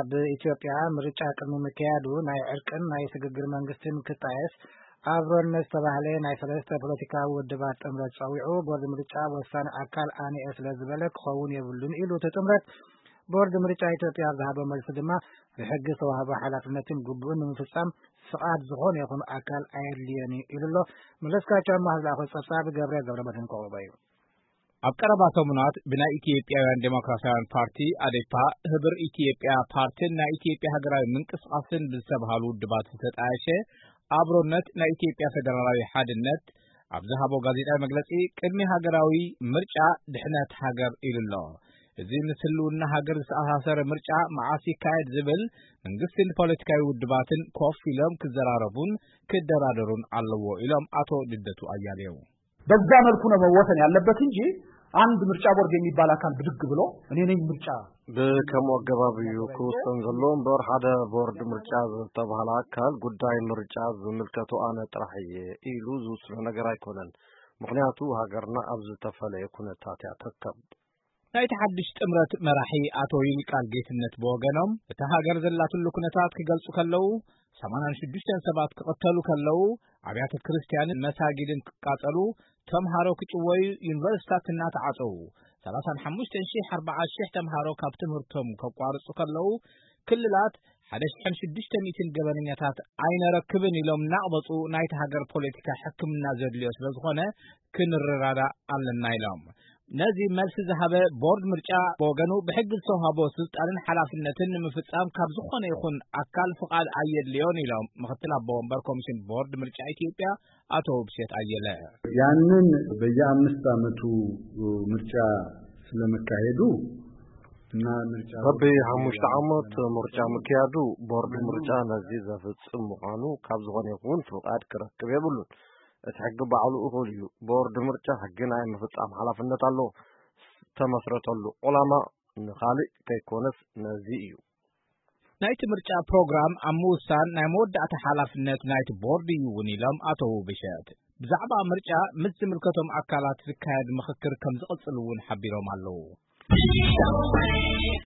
ኣብ ኢትዮጵያ ምርጫ ቅድሚ ምክያዱ ናይ ዕርቅን ናይ ስግግር መንግስትን ክጣየስ ኣብሮነት ዝተባህለ ናይ ሰለስተ ፖለቲካዊ ውድባት ጥምረት ጸዊዑ፣ ቦርድ ምርጫ ወሳኒ ኣካል ኣነ እየ ስለ ዝበለ ክኸውን የብሉን ኢሉ እቲ ጥምረት። ቦርድ ምርጫ ኢትዮጵያ ኣብ ዝሃቦ መልሲ ድማ ብሕጊ ዝተዋህቦ ሓላፍነትን ግቡእን ንምፍጻም ፍቓድ ዝኾነ ይኹን ኣካል ኣየድልየን እዩ ኢሉ ኣሎ። መለስካቸው ኣማህ ዝለኣኾ ጸብጻብ ገብረ ገብረ መድህን ከቕርቦ እዩ። ኣብ ቀረባ ሰሙናት ብናይ ኢትዮጵያውያን ዴሞክራሲያውያን ፓርቲ ኣዴፓ፣ ህብር ኢትዮጵያ ፓርቲን ናይ ኢትዮጵያ ሃገራዊ ምንቅስቃስን ብዝተባሃሉ ውድባት ዝተጣየሸ ኣብሮነት ናይ ኢትዮጵያ ፌደራላዊ ሓድነት ኣብ ዝሃቦ ጋዜጣዊ መግለጺ ቅድሚ ሃገራዊ ምርጫ ድሕነት ሃገር ኢሉ ኣሎ። እዚ ምስ ህልውና ሃገር ዝተኣሳሰረ ምርጫ መዓስ ይካየድ ዝብል መንግስትን ፖለቲካዊ ውድባትን ኮፍ ኢሎም ክዘራረቡን ክደራደሩን ኣለዎ ኢሎም ኣቶ ልደቱ ኣያሌው። በዛ መልኩ ነው መወሰን ያለበት እንጂ አንድ ምርጫ ቦርድ የሚባል አካል ብድግ ብሎ እኔ ነኝ ምርጫ ብከምኡ ኣገባብ እዩ ክውሰን ዘሎ እምበር፣ ሓደ ቦርድ ምርጫ ዝተባህለ ኣካል ጉዳይ ምርጫ ዝምልከቶ ኣነ ጥራሕ እየ ኢሉ ዝውስኖ ነገር ኣይኮነን። ምኽንያቱ ሃገርና ኣብ ዝተፈለየ ኩነታት እያ ትርከብ። ናይቲ ሓድሽ ጥምረት መራሒ ኣቶ ይልቃል ጌትነት ብወገኖም፣ እታ ሃገር ዘላትሉ ኩነታት ክገልጹ ከለዉ፣ ሰማንያን ሽዱሽተን ሰባት ክቕተሉ ከለዉ፣ ኣብያተ ክርስትያንን መሳጊድን ክቃጸሉ፣ ተምሃሮ ክጭወዩ፣ ዩኒቨርሲታት እናተዓጸዉ፣ ሰላሳን ሓሙሽተን ሺሕ ኣርባዓ ሺሕ ተምሃሮ ካብ ትምህርቶም ከቋርጹ ከለዉ፣ ክልላት ሓደ ሽሕን ሽዱሽተ ሚእትን ገበነኛታት ኣይነረክብን ኢሎም እናቕበጹ፣ ናይቲ ሃገር ፖለቲካ ሕክምና ዘድልዮ ስለ ዝኾነ ክንረዳዳእ ኣለና ኢሎም። ነዚ መልሲ ዝሃበ ቦርድ ምርጫ ብወገኑ ብሕጊ ዝተውሃቦ ስልጣንን ሓላፍነትን ንምፍጻም ካብ ዝኾነ ይኹን ኣካል ፍቓድ ኣየድልዮን ኢሎም ምኽትል ኣቦ ወንበር ኮሚሽን ቦርድ ምርጫ ኢትዮጵያ ኣቶ ውብሸት ኣየለ። ያንን በየአምስት ዓመቱ ምርጫ ስለመካሄዱ እና ምርጫ በቢ ቦርድ ሓሙሽተ ዓመት ምርጫ ምክያዱ ቦርድ ምርጫ ነዚ ዘፍጽም ምዃኑ ካብ ዝኾነ ይኹን ፍቓድ ክረክብ የብሉን። እቲ ሕጊ ባዕሉ እኹል እዩ። ቦርድ ምርጫ ሕጊ ናይ ምፍጻም ሓላፍነት ኣለዎ። ዝተመስረተሉ ዕላማ ንኻልእ ከይኮነስ ነዚ እዩ። ናይቲ ምርጫ ፕሮግራም ኣብ ምውሳን ናይ መወዳእታ ሓላፍነት ናይቲ ቦርድ እዩ እውን ኢሎም ኣቶ ውብሸት። ብዛዕባ ምርጫ ምስ ዝምልከቶም ኣካላት ዝካየድ ምኽክር ከም ዝቕጽል እውን ሓቢሮም ኣለዉ።